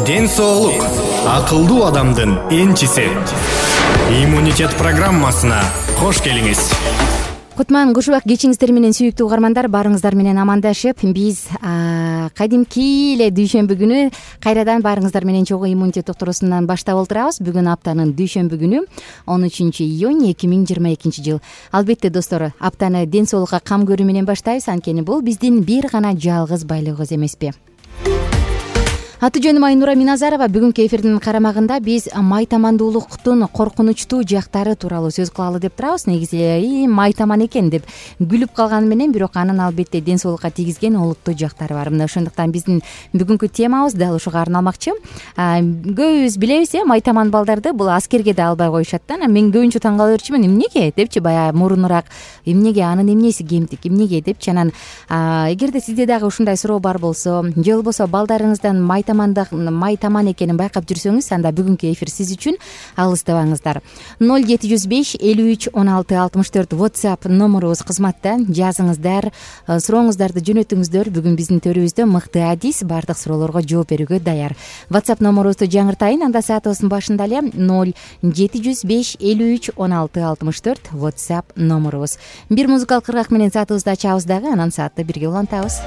Ден соолук акылдуу адамдын энчиси. Иммунитет программасына кош келиңиз. Кутман кушубак кечиңиздер менен сүйүктүү угармандар, баарыңыздар менен амандашып, биз кадимки эле дүйшөмбү күнү кайрадан баарыңыздар менен чогуу иммунитет докторусунан баштап олтурабыз. Бүгүн аптанын дүйшөмбү күнү 13-июнь 2022 жыл. Албетте достор, аптаны ден соолукка кам көрүү менен баштайбыз, анткени бул биздин бир гана жалгыз байлыгыбыз эмеспи. Аты жөнүм Айнура Миназарова. Бүгүнкү эфирдин карамагында биз майтамандуулуктун коркунучтуу жактары тууралуу сөз кылалы деп турабыз. Негизи майтаман экен деп күлүп калганы менен, бирок анын албетте ден соолукка тийгизген олуттуу жактары бар. Мына ошондуктан биздин бүгүнкү темабыз дал ушуга арналмакчы. Көбүбүз билебиз, майтаман балдарды бул аскерге да албай коюшат да. Мен көбүнчө таң кала берчүмүн, эмнеге депчи, баягы мурунураак эмнеге, анын эмнеси кемтик, эмнеге депчи. Анан эгерде сизде дагы ушундай суроо бар болсо, же болбосо балдарыңыздан майтаман экенин байкап жүрсөңүз, анда бүгүнкү эфир сиз үчүн. Алыстабаңыздар. 0705 53 16 64 WhatsApp номерубуз кызматта. Жазыңыздар, сурооңуздарды жөнөтүңүздөр. Бүгүн биздин төрүбүздө мыкты адис баардык суроолорго жооп берүүгө даяр. WhatsApp номерубузду жаңыртайын. Анда саатыбыздын башында эле 0705 53 16 64 WhatsApp номерубуз. Бир музыкалык кыргак менен саатыбызды ачабыз дагы, анан саатты бирге улантабыз.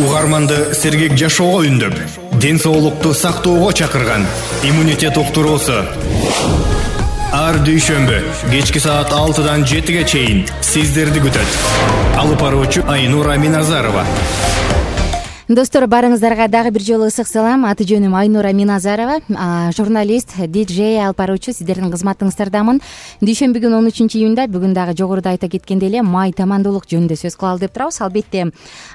угарманды сергек жашоого үндөп, ден соолукту сактоого чакырган иммунитет уктуруусу. Ар дүйшөмбү кечки саат 6-дан 7-ге чейин сиздерди күтөт. Алып баруучу Айнура Миназарова. Достор, барыңыздарга дагы бир жолу ысык салам. Аты жөнүм Айнура Миназарова, журналист, диджей, алып баруучу. Сиздердин кызматыңыздардамын. Дүйшөмбү күнү 13-июнда, бүгүн дагы жогоруда айта кеткендей эле май тамандуулук жөнүндө сөз кылалы деп турабыз. Албетте,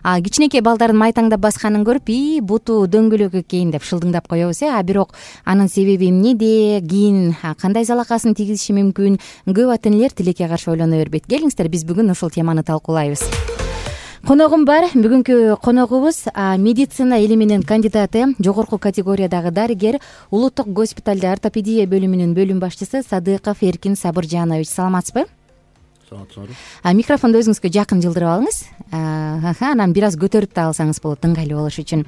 кичинекей балдардын май таңдап басканын көрүп, буту дөңгөлөк экен деп шылдыңдап коебуз, а бирок анын себеби эмнеде, кийин кандай залакасын тийгизиши мүмкүн? Көп ата энелер тилекке каршы ойлоно бербейт. Келиңиздер, биз бүгүн ушул теманы талкуулайбыз. Коногум бар. Бүгүнкү коногубуз медицина илиминин кандидаты, жогорку категориядагы дарыгер, Улуттук госпиталда ортопедия бөлүмүнүн бөлүм башчысы Садыков Эркин Сабыржанович. Саламатсызбы? Саламатсызбы. Микрофонду өзүңүзгө жакын жылдырып алыңыз. Анан бир аз көтөрүп да алсаңыз болот, ыңгайлуу болуш үчүн.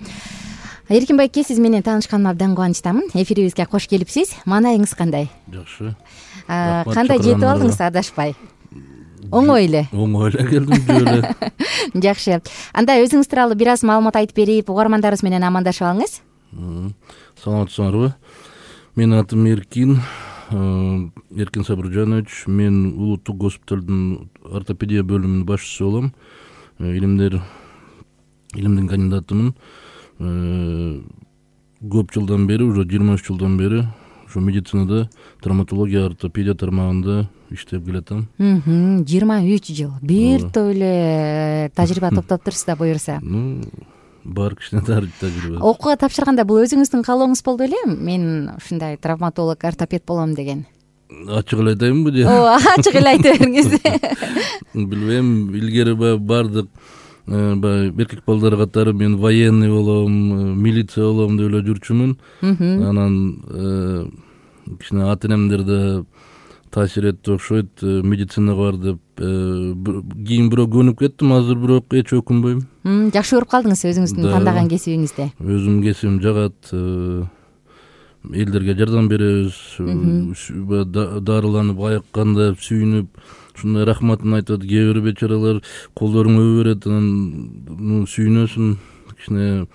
Эркин байке, сиз менен таанышканыма абдан кубанычтамын. Эфирибизге кош келипсиз. Маанайыңыз кандай? Жакшы. Кандай жетип алдыңыз, адашпай? Оңой эле. Оңой эле келдим, жөлө. Жакшы. Анда өзүңүз тууралуу бир аз маалымат айтып берип, угармандарыбыз менен амандашып алыңыз. Саламатсыздарбы? Менин атым Эркин Сабыржанович. Мен Улуттук госпиталдын ортопедия бөлүмүнүн башчысы болом. Илимдин кандидатымын. Көп жылдан бери, уже 23 жылдан бери ушу медицинада, травматология, ортопедия тармагында иштеп келатам. 23 жыл. Бир топ эле тажрыйба топтоптурсуз да буюрса. Бар кичине тажрыйба. Окууга тапшырганда бул өзүңүздүн каалооңуз болду беле? Мен ушундай травматолог, ортопед болом деген. Ачык эле айтайынбы же? Ачык эле айта бериңиз. Билбейм, илгери бардык эркек балдар катары мен военный болом, милиция болом деп эле жүрчүмүн. Анан кичине ата энемдер да таасир этти окшойт, медицинага бар деп. Кийин бирок көнүп кеттим, азыр бирок эч өкүнбөйм. Жакшы көрүп калдыңыз өзүңүздүн тандаган кесибиңизди. Өзүмдүн кесибим жагат. Элдерге жардам беребиз. Дарыланып, айыкканда сүйүнүп, ушундай рахматын айтат. Кээ бир бечаралар колдорун өбө берет, анан сүйүнөсүн, кичине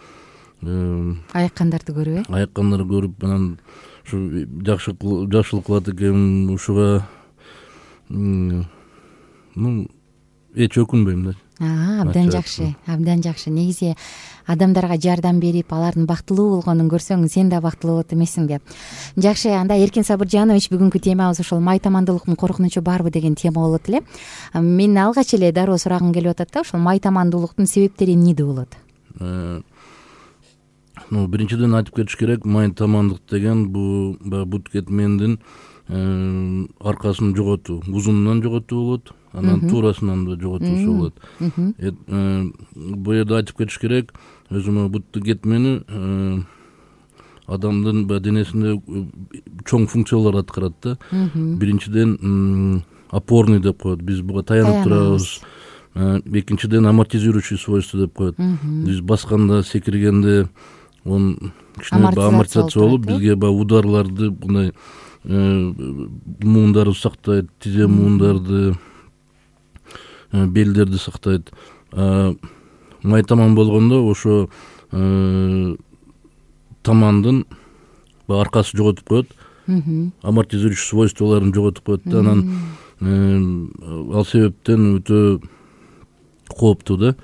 айыккандарды көрүп, айыккандарды көрүп, анан ушу жакшылык кылат экен. Ушуга эч өкүнбөйм да. Абдан жакшы, абдан жакшы. Негизи адамдарга жардам берип, алардын бактылуу болгонун көрсөң, сен да бактылуу болот эмессиң деп. Жакшы, анда Эркин Сабыржанович, бүгүнкү темабыз ошол май тамандуулуктун коркунучу барбы деген тема болот эле. Мен алгач эле дароо сурагым келип атат да, ошол май тамандуулуктун себептери эмнеде болот? Биринчиден айтып кетиш керек, май тамандык деген бул бут кетмендин аркасын жоготуу, узунунан жоготуу болот, анан туурасынан да жоготуусу болот. Бул жерде айтып кетиш керек, өзүмө бутту кетмени адамдын денесинде чоң функциялар аткарат да. Биринчиден опорный деп коет, биз буга таянып турабыз. Экинчиден амортизирующий свойство деп коет. Биз басканда, секиргенде он кичине амортизация болуп, бизге ударларды, мындай муундарды сактайт, тизе муундарды, белдерди сактайт. Май таман болгондо ошо тамандын аркасы жоготуп коет, амортизирующий свойстволорун жоготуп коет да, анан ал себептен өтө кооптуу да.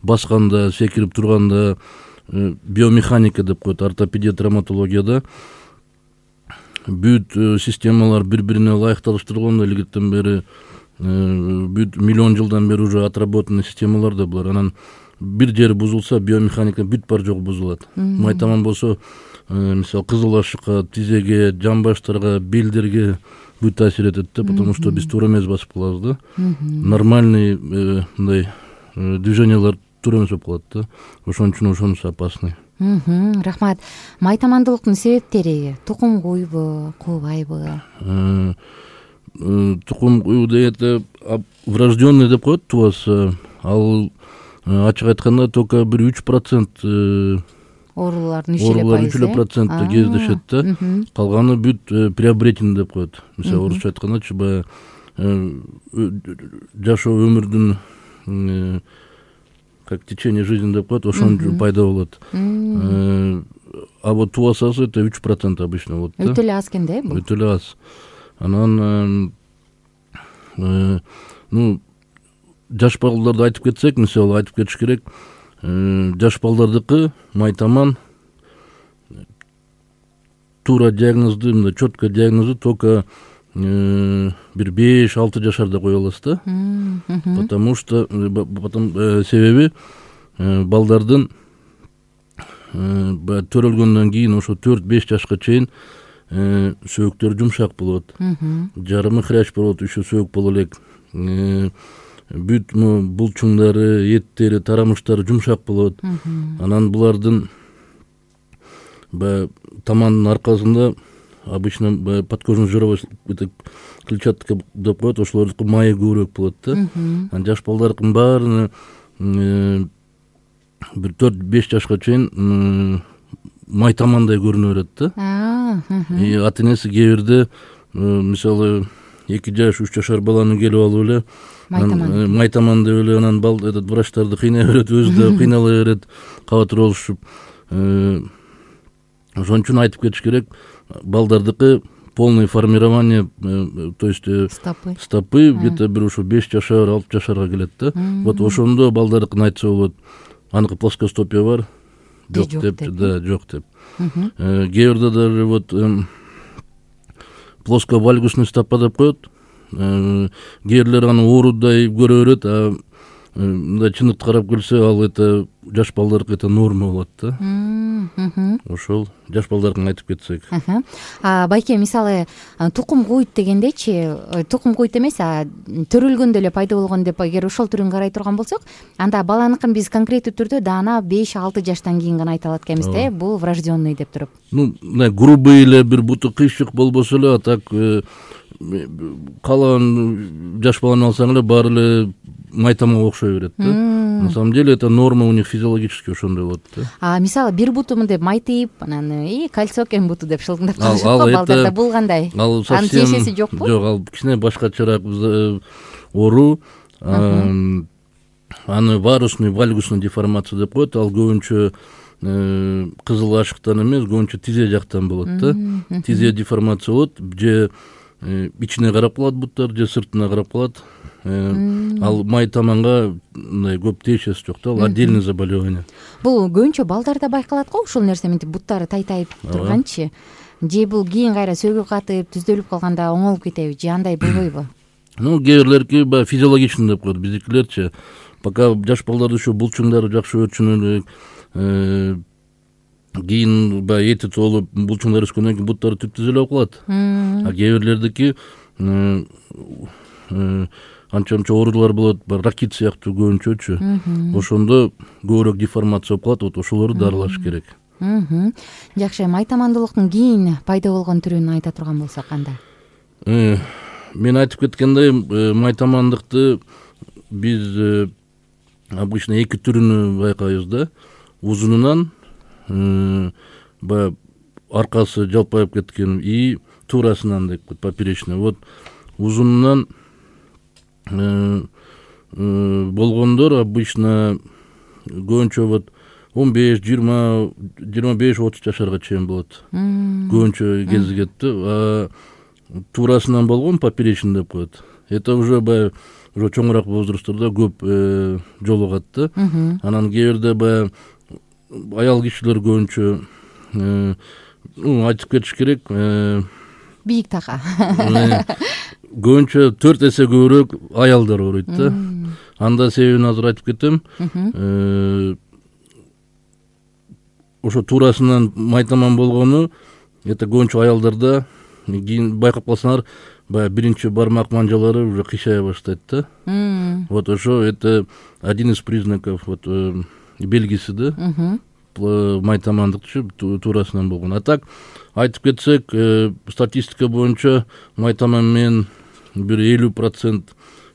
Басканда, секирип турганда биомеханика деп коет, ортопедия, травматологияда бүт системалар бири-бирине ылайыкталыштырылган илгертен бери, бүт миллион жылдан бери уже отработанный системалар да булар. Анан бир жери бузулса, биомеханика бүт бар жок бузулат. Май таман болсо, мисалы кызыл ашыкка, тизеге, жамбаштарга, белдерге бүт таасир этет да, потому что биз туура эмес басып калабыз да. Нормальный мындай движениялар туура эмес болуп калат да. Ошон үчүн ошонусу опасный. Рахмат. Май тамандуулуктун себептери тукум куйбу, куубайбы? Тукум куйбу дегенде врожденный деп коет тубасы. Ал ачык айтканда только бир 3% оорулардын 3% кездешет да. Калганы бүт приобретенный деп коет. Мисалы орусча айтканда баягы жашоо өмүрдүн как течение жизни деп коет, ошон пайда болот. А вот тубасасы это 3% обычно болот да. Өтө эле аз экен да бул. Өтө эле аз. Анан жаш балдарды айтып кетсек, мисалы айтып кетиш керек, жаш балдардыкы майтаман туура диагнозду, мындай четко диагнозду только бир 5-6 жашарда кое аласыз да. Потому что себеби балдардын төрөлгөндөн кийин ошо 4-5 жашка чейин сөөктөрү жумшак болот, жарымы хрящ болот, еще сөөк боло элек, бүт булчуңдары, эттери, тарамыштары жумшак болот. Анан булардын тамандын аркасында обычно подкожный жировой клетчатка деп коет, ошолордуку майы көбүрөөк болот да. Анан жаш балдардын баарына бир 4-5 жашка чейин майтамандай көрүнө берет да. И ата энеси кээ бирде мисалы 2 жаш 3 жашар баланы келип алып эле майтаман деп эле анан врачтарды кыйнай берет, өзү да кыйнала берет, кабатыр болушуп. Ошон үчүн айтып кетиш керек, балдардыкы полное формирование, то есть стопы где-то бир ошо 5 жашар 6 жашарга келет да. Вот ошондо балдардыкын айтса болот. Аныкы плоскостопия бар, жок деп, да, жок деп. Кээ бирде даже вот плосковальгусный стопа деп коет. Кээ бирлер аны оорудай көрө берет, а мындай чындыкты карап келсе, ал это жаш балдардыкы это норма болот да. Ошол жаш балдардын айтып кетсек. Байке, мисалы тукум куйт дегендечи, тукум куйт эмес, төрөлгөндө эле пайда болгон деп эгер ошол түрүн карай турган болсок, анда баланыкын биз конкреттүү түрдө даана 5-6 жаштан кийин гана айта алат экенбиз да, бул врожденный деп туруп. Грубый эле бир буту кыйшык болбосо эле, а так калаган жаш баланы алсаң эле баары эле майтамга окшой берет да. На самом деле это норма у них физиологически ошондой болот да. Мисалы бир буту мындай майтыйп, анан кальций экен буту деп шылдыңдап калышат го балдарда, бул кандай? Анын тиешеси жокпу? Жок, ал кичине башкачараак оору. Аны варусный вальгусный деформация деп коет. Ал көбүнчө кызыл ашыктан эмес, көбүнчө тизе жактан болот да. Тизе деформация болот, же ичине карап калат буттар, же сыртына карап калат. Ал майтаманга мындай көп тиешеси жок да, ал отдельный заболевание. Бул көбүнчө балдарда байкалат го ушул нерсе, мынтип буттары тайтайып турганчы. Же бул кийин кайра сөөгү катып, түздөлүп калганда оңолуп кетеби, же андай болбойбу? Кээ бирлерки физиологичный деп коет, биздикилерчи пока жаш балдарда ошо булчуңдары жакшы өчүнө элек, кийин эти толуп булчуңдар өскөндөн кийин буттары түп-түз эле болуп калат. А кээ бирлердики анча-мынча оорулар болот, ракит сыяктуу көбүнчөчү. Ошондо көбүрөөк деформация болуп калат, вот ошолорду дарылаш керек. Жакшы, майтамандуулуктун кийин пайда болгон түрүн айта турган болсок кандай? Мен айтып кеткендей, майтамандыкты биз обычно 2 түрүнү байкайбыз да. Узунунан аркасы жалпайып кеткен и туурасынан деп коет, поперечный. Вот узунунан болгондор обычно көбүнчө вот 15, 20, 25, 30 жашарга чейин болот. Көбүнчө кезигет да. Туурасынан болгон поперечный деп коет. Это уже уже чоңураак возрасттордо көп жолугат да. Анан кээ бирде аял кишилер көбүнчө айтып кетиш керек, бийик така. Көбүнчө 4 эсе көбүрөөк аялдар ооруйт да. Анда себебин азыр айтып кетем. Ошо туурасынан майтаман болгону это көбүнчө аялдарда, кийин байкап калсаңар, биринчи бармак манжалары уже кыйшая баштайт да. Вот ошо это один из признаков, вот белгиси да, майтамандыкчы туурасынан болгон. А так айтып кетсек, статистика боюнча майтаман менен бир 50%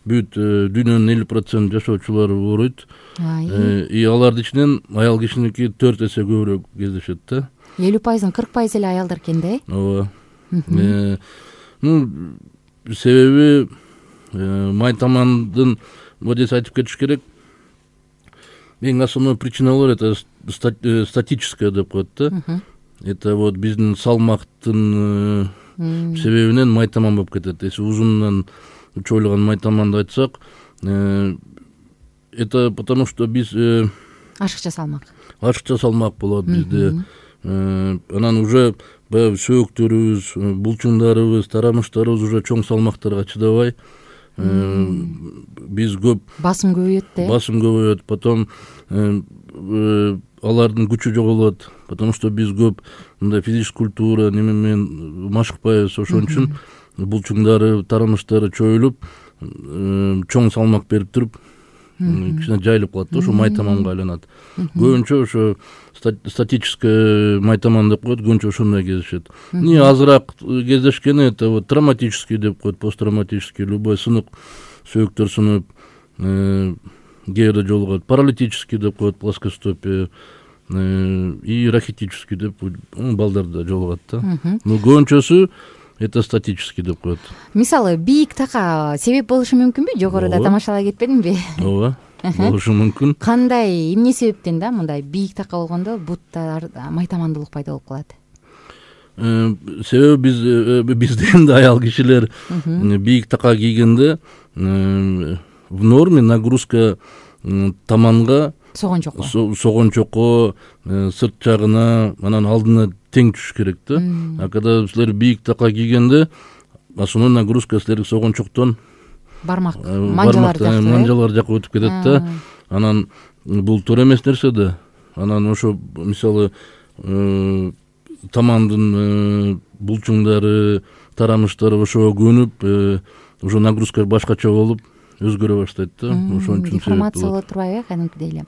бүт дүйнөнүн 50% жашоочулары ооруйт. И алардын ичинен аял кишиники 4 эсе көбүрөөк кездешет да. 50%, 40% эле аялдар экен да? Ооба. Себеби майтамандын вот здесь айтып кетиш керек, эң основной причиналар это статическое деп коет да. Это вот биздин салмактын себебинен майтаман болуп кетет. Если узунунан чойлогон майтаманды айтсак, это потому что биз ашыкча салмак болот бизде. Анан уже баягы сөөктөрүбүз, булчуңдарыбыз, тарамыштарыбыз уже чоң салмактарга чыдабай, биз көп басым көбөйөт, потом алардын күчү жоголот, потому что биз көп мындай физическая культура неме менен машыкпайбыз. Ошон үчүн булчуңдары, тарамыштары чоюлуп, чоң салмак берип туруп, кичине жайылып калат да, ошо майтаманга айланат. Көбүнчө ошо статический майтаман деп коет, көбүнчө ошондой кездешет. Не азыраак кездешкени это вот травматический деп коет, посттравматический, любой сынык, сөөктөр сынып, кээде жолугат, паралитический деп коет, плоскостопие, и рахитический деп балдарда жолугат да. Но көбүнчөсү это статический деп коет. Мисалы, бийик така себеп болушу мүмкүнбү? Жогоруда тамашалай кетпедимби? Ооба, болушу мүмкүн. Кандай, эмне себептен да мындай бийик така болгондо бутта майтамандуулук пайда болуп калат? Себеби бизде энди аял кишилер бийик така кийгенде в норме нагрузка таманга, согончокко, сырт жагына, анан алдына тең түшүш керек да. А когда силер бийик така кийгенде, основной нагрузка силерге согончоктон манжалар жака өтүп кетет да. Анан бул туура эмес нерсе да. Анан ошо мисалы тамандын булчуңдары, тарамыштары ошого көнүп, уже нагрузка башкача болуп өзгөрө баштайт да. Ошон үчүн информация болот турбайбы кадимкидей эле.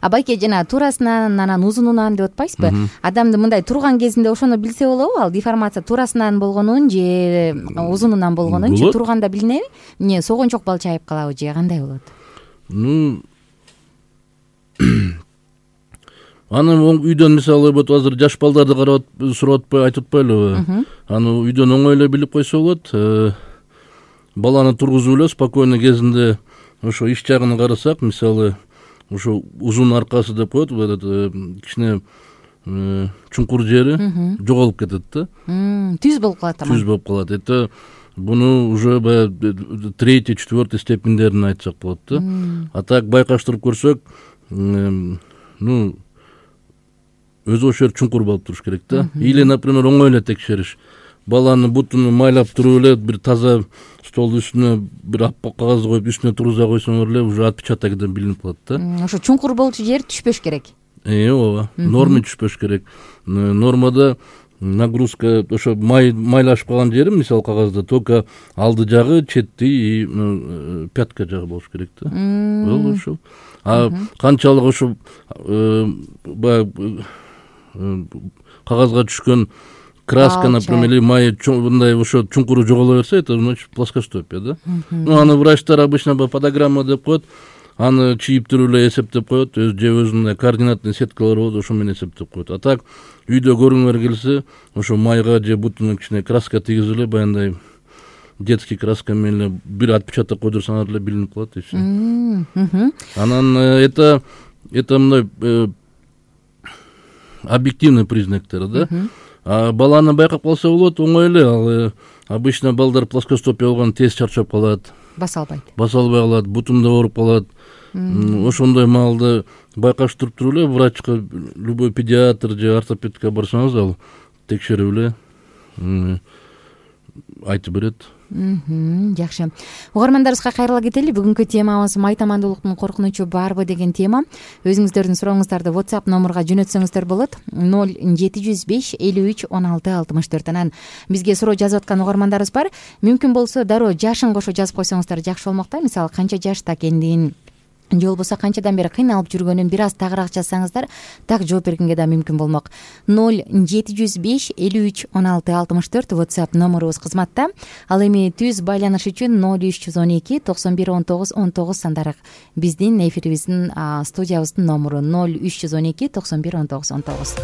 Байке жана туурасынан анан узунунан деп атпайсызбы? Адамды мындай турган кезинде ошону билсе болобу? Ал деформация туурасынан болгонун же узунунан болгонун же турганда билинеби? Эмне согончок балчайып калабы же кандай болот? Аны үйдөн мисалы вот азыр жаш балдарды карап сурап атпай, айтып атпайлыбы? Аны үйдөн оңой эле билип койсо болот. Баланы тургузуп эле спокойно кезинде ошо иш жагын карасак, мисалы ошо узун аркасы деп коет, кичине чуңкур жери жоголуп кетет да. Түз болуп калат. Түз болуп калат. Это буну уже баягы 3-4 степендерин айтсак болот да. А так байкаштырып көрсөк, өзү ошол чуңкур болуп туруш керек да. Или, например, оңой эле текшериш. Баланы бутун майлап туруп эле бир таза столдун үстүнө бир аппак кагаз коюп үстүнө тургуза койсоңор эле уже отпечатокдон билинип калат да. Ошо чуңкур болчу жер түшпөш керек. Ооба, норма түшпөш керек. Нормада нагрузка ошо майлашып калган жери, мисалы кагазда только алды жагы, четти и пятка жагы болуш керек да. Болду ошо. А канчалык ошо кагазга түшкөн краска, например, или май мындай ошо чуңкуру жоголо берсе, это значит плоскостопие да. Аны врачтар обычно подограмма деп коет, аны чийип туруп эле эсептеп коет, же өзүнүн координатный сеткалар болот, ошо менен эсептеп коет. А так үйдө көрүңөр келсе, ошо майга же бутуна кичине краска тийгизип эле, баягындай детский краска менен эле бир отпечаток койдурсаңар эле билинип калат и все. Анан это мындай объективный признактар да. А баланы байкап калса болот, оңой эле. Ал обычно балдар плоскостопия болгон тез чарчап калат. Баса албай калат, бутунда ооруп калат. Ошондой маалда байкаштырып туруп эле врачка, любой педиатр же ортопедке барсаңыз, ал текшерип эле айтып берет. Жакшы. Угармандарыбызга кайрыла кетели. Бүгүнкү темабыз майтамандуулуктун коркунучу барбы деген тема. Өзүңүздөрдүн сурооңуздарды WhatsApp номурга жөнөтсөңүздөр болот. 0705 53 16 64. Анан бизге суроо жазып аткан угармандарыбыз бар. Мүмкүн болсо дароо жашын кошо жазып койсоңуздар жакшы болмок да. Мисалы канча жашта экендигин, же болбосо канчадан бери кыйналып жүргөнүн бир аз тагыраак жазсаңыздар, так жооп бергенге да мүмкүн болмок. 0705 53 16 64 WhatsApp номурубуз кызматта. Ал эми түз байланыш үчүн 0312 91 19 19 сандары биздин эфирибиздин студиябыздын номуру 0312 91 19 19.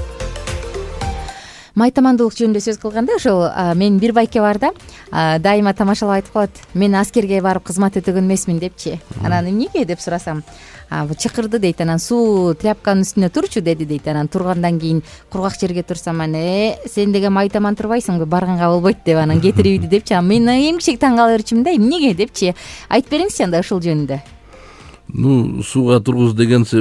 майтамандуулук жөнүндө сөз кылганда ошол менин бир байке бар да, дайыма тамашалап айтып калат: мен аскерге барып кызмат өтөгөн эмесмин депчи. Анан эмнеге деп сурасам, чакырды дейт, анан суу тряпканын үстүнө турчу деди дейт. Анан тургандан кийин кургак жерге турсам, сен деген майтаман турбайсыңбы, барганга болбойт деп анан кетирип ийди депчи. Мен эмгичек таң кала берчимин да, эмнеге депчи. Айтып бериңизчи анда ушул жөнүндө. Сууга тургуз дегенсе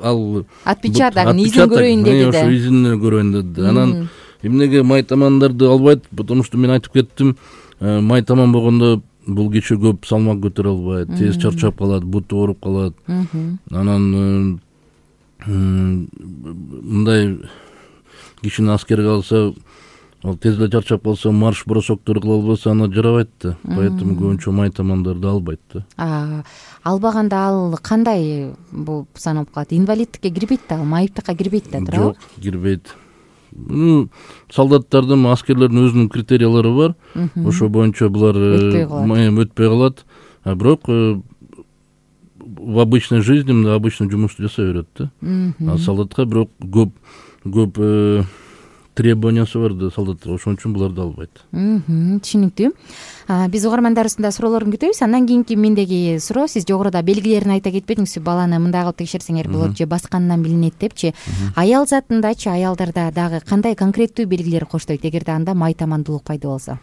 ал отпечатогун изин көрөйүн деди да. Ошо изин көрөйүн деди. Анан эмнеге майтамандарды албайт? Потому что мен айтып кеттим, майтаман болгондо бул киши көп салмак көтөрө албайт, тез чарчап калат, буту ооруп калат. Анан мындай кишини аскерге алса, ал тез эле чарчап калса, марш бросоктор кыла албаса, ана жарабайт да. Поэтому көбүнчө майтамандарды албайт да. Албаганда ал кандай болуп саналып калат? Инвалидтикке кирбейт да, ал майыптыкка кирбейт да, туурабы? Жок, кирбейт. Солдаттардын, аскерлердин өзүнүн критериялары бар. Ошо боюнча булар өтпөй калат. Бирок в обычной жизни, обычный жумушту жасай берет да. А солдатка бирок көп требованиясы бар да солдаттарга, ошон үчүн буларды албайт. Түшүнүктүү. Биз угармандар арасында суроолорун күтөбүз. Андан кийинки мендеги суроо, сиз жогоруда белгилерин айта кетпедиңизби? Баланы мындай кылып текшерсеңер болот же басканынан билинет депчи. Аял затындачы, аялдарда дагы кандай конкреттүү белгилер коштойт эгерде анда майтамандуулук пайда болсо?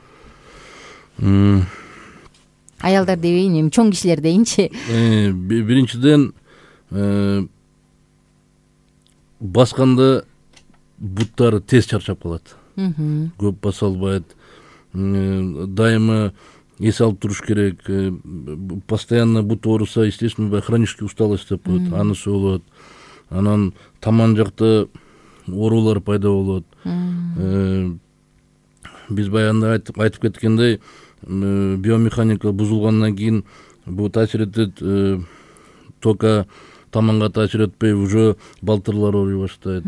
Аялдар дебейин, эми чоң кишилер дейинчи. Биринчиден, басканда буттары тез чарчап калат. Көп баса албайт. Дайыма эс алып туруш керек. Постоянно бут ооруса, естественно, хронический усталость деп коет, анысы болот. Анан таман жакта оорулар пайда болот. Биз баягында айтып кеткендей, биомеханика бузулгандан кийин бул таасир этет, только таманга таасир этпей, уже балтырлар ооруй баштайт,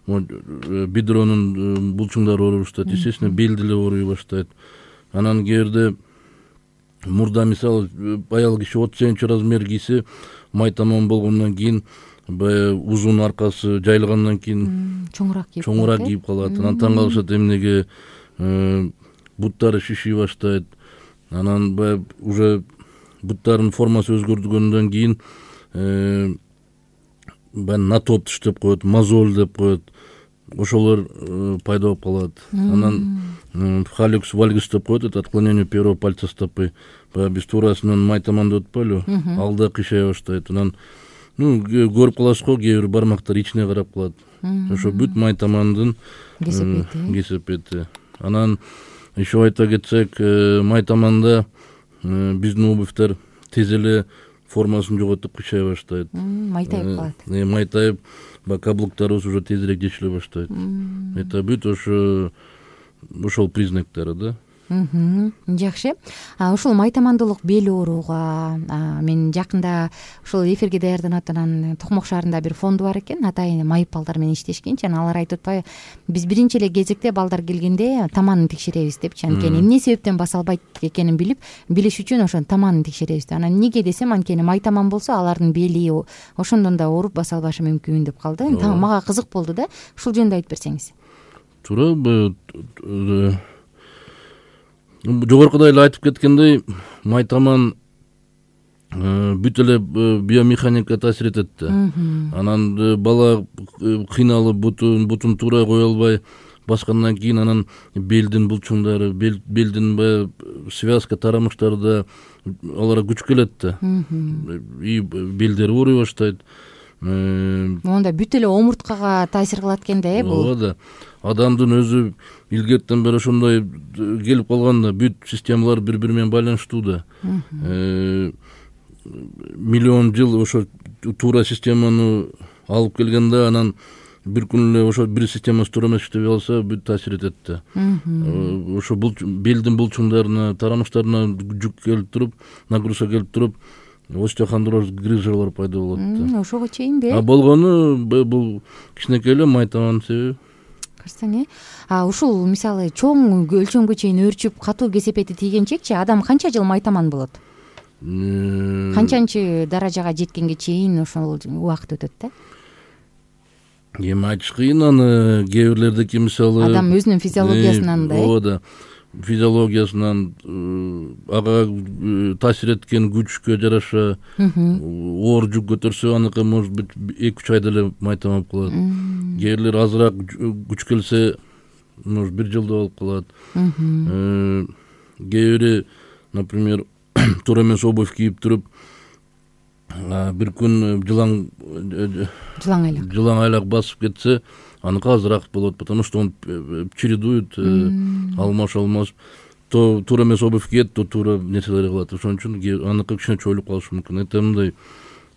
бедронун булчуңдары ооруй баштайт, естественно, бел деле ооруй баштайт. Анан кээ мурда, мисалы, аял киши 37 размер кийсе, майтаман болгондон кийин баягы узун аркасы жайылгандан кийин чоңураак кийип калат. Анан таң калышат, эмнеге буттары шиши баштайт. Анан баягы уже буттарынын формасы өзгөрдүгөндөн кийин натоп деп коет, мозоль деп коет. Ошолор пайда болуп калат. Анан халюкс вальгус деп коет, это отклонение первого пальца стопы. Биз туурасынан майтаманды өтпөйлү, алда кыйшай баштайт. Анан көрүп каласыз го, кээ бир бармактар ичине карап калат. Ошо бүт майтамандын кесепети. Анан еще айта кетсек, майтаманда биздин обувьтар тез эле формасын жоготуп кыйшай баштайт. Майтайып калат. Майтайып, каблуктарыбыз уже тезирээк жешиле баштайт. Это бүт ошол признактары да. Жакшы. Ушул майтамандуулук бел ооруга мен жакында ушул эфирге даярданып аткан Токмок шаарында бир фонду бар экен. Атайын майып балдар менен иштешкенчи. Алар айтып атпайбы, биз биринчи эле кезекте балдар келгенде таманын текшеребиз депчи. Анткени эмне себептен баса албайт экенин билиш үчүн ошонун таманын текшеребиз. Анан эмнеге десем, анткени майтаман болсо алардын бели ошондон да ооруп баса албашы мүмкүн деп калды. Мага кызык болду да. Ушул жөнүндө айтып берсеңиз. Туура. Жогоркуда эле айтып кеткендей, майтаман бүт эле биомеханика таасир этет да. Анан бала кыйналып бутун туура кое албай баскандан кийин анан белдин булчуңдары, белдин связка, тарамыштары да аларга күч келет да. И белдери ооруй баштайт. Монда бүт эле омурткага таасир кылат экен да, бул. Ооба да. Адамдын өзү илгертен бери ошондой келип калган да, бүт системалар бири-бири менен байланыштуу да. Миллион жыл ошо туура системаны алып келгенде, анан бир күн эле ошо бир системасы туура эмес иштебей калса, бүт таасир этет да. Ошо белдин булчуңдарына, тарамыштарына жүк келип туруп, нагрузка келип туруп, остеохондроз, грыжалар пайда болот да. Ошого чейинби? Болгону бул кичинекей эле майтамандын себеби. Көрсөң, ушул мисалы чоң өлчөмгө чейин өөрчүп, катуу кесепети тийгенчекчи адам канча жыл майтаман болот? Канчанчы даражага жеткенге чейин ошол убакыт өтөт да? эми айтыш кыйын аны. Кээ бирлердики мисалы адам өзүнүн физиологиясынан да ооба физиологиясынан ага таасир эткен күчкө жараша оор жүк көтөрсө аныкы может быть 2-3 айда эле майтамап калат. Кээ бирлер азыраак күч келсе может 1 жылда болуп калат. Кээ бири например туура эмес обувь кийип туруп бир күн жылаң айлак басып кетсе аныкы азыраак болот, потому что он чередует, алмаш туура эмес обувь кийет, то туура нерселер кылат. Ошон үчүн аныкы кичине чоюлуп калышы мүмкүн. Это мындай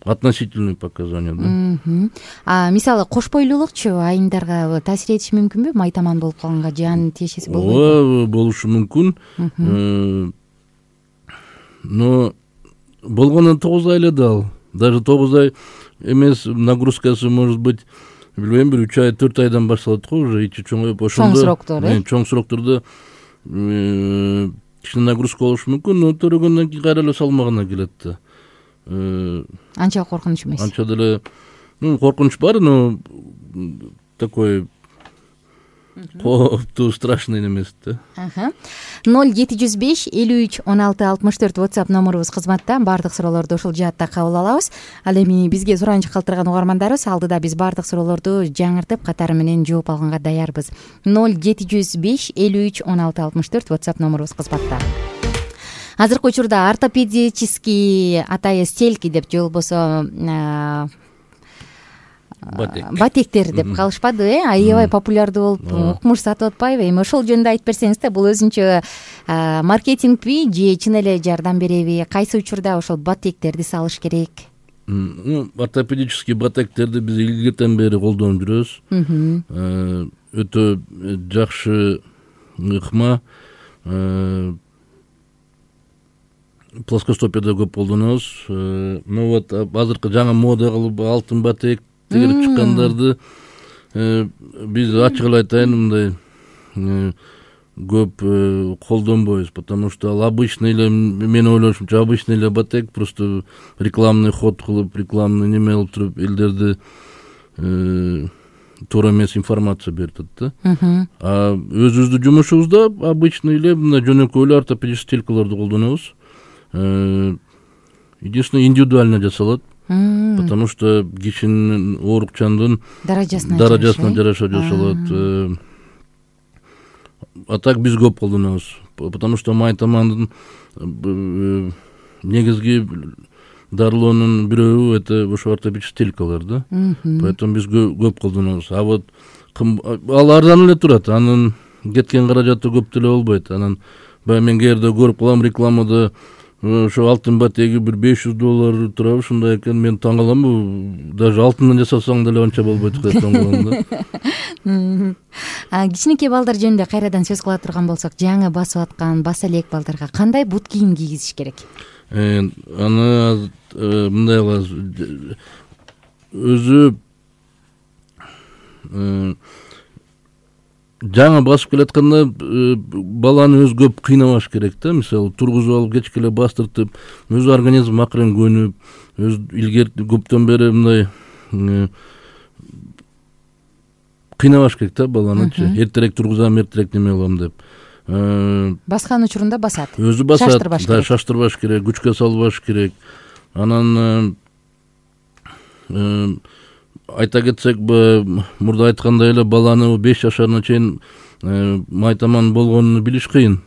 относительный показания, да. Мисалы кош бойлуулукчу айымдарга таасир этиши мүмкүнбү? Майтаман болуп калганга жан тиешеси болбойбу? Ооба, болушу мүмкүн. Но болгону 9 ай эле дал. Даже 9 ай эмес, нагрузкасы может быть, билбейм, 3 ай, 4 айдан башталат го уже ичи чоңоюп. Чоң сроктор, чоң сроктордо кичине нагрузка болушу мүмкүн, но төрөгөндөн кийин кайра эле салмагына келет да. Анча коркунуч эмес. Анча деле коркунуч бар, но такой кооптуу, страшный эмес да. 0705 53 16 64 WhatsApp номурубуз кызматта. Баардык суроолорду ушул жаатта кабыл алабыз. Ал эми бизге суранычы калтырган угармандарыбыз алдыда биз баардык суроолорду жаңыртып катары менен жооп алганга даярбыз. 0705 53 16 64 WhatsApp номурубуз кызматта. Азыркы учурда ортопедический атайы стельки деп же болбосо батектер деп калышпадыбы, аябай популярдуу болуп укмуш сатып атпайбы? Эми ошол жөнүндө айтып берсеңиз да, бул өзүнчө маркетингби же чын эле жардам береби? Кайсы учурда ошол батектерди салыш керек? Ортопедический батектерди биз илгертен бери колдонуп жүрөбүз. Өтө жакшы ыкма. Плоскостопияда көп колдонобуз. Но вот азыркы жаңы мода кылып алтын батек тегерип чыккандарды биз ачык эле айтайын, мындай көп колдонбойбуз, потому что ал обычный эле, мен ойлошумча обычный эле батек, просто рекламный ход кылып, рекламный неме кылып туруп элдерди туура эмес информация берет да. Өзүбүздүн жумушубузда обычный эле мындай жөнөкөй эле ортопедический стелькаларды колдонобуз. Единственное, индивидуально жасалат, потому что кишинин оорукчандын даражасына жараша жасалат. А так биз көп колдонобуз, потому что майтамандын негизги дарылоонун бирөө это ошо ортопедический стелькалар да. Поэтому биз көп колдонобуз. А вот ал арзан эле турат, анын кеткен каражаты көп деле болбойт. Анан баягы мен кээде көрүп калам рекламада ошо алтын батеги бир $500 турабы, ушундай экен. Мен таң калам, даже алтындан жасасаң деле анча болбойт деп таң калам да. Кичинекей балдар жөнүндө кайрадан сөз кыла турган болсок, жаңы басып аткан баса элек балдарга кандай бут кийим кийгизиш керек? Аны мындай кылабыз. Өзү жаңы басып келатканда баланы өзү көп кыйнабаш керек да. Мисалы тургузуп алып кечке эле бастыртып, өзү организм акырын көнүп, өз илгери көптөн бери мындай кыйнабаш керек да баланычы. Эртерээк тургузам, эртерээк неме кылам деп. Баскан учурунда басат. Өзү басат, да, шаштырбаш керек, күчкө салбаш керек. Анан айта кетсек, мурда айткандай эле баланы 5 жашарына чейин майтаман болгонун билиш кыйын.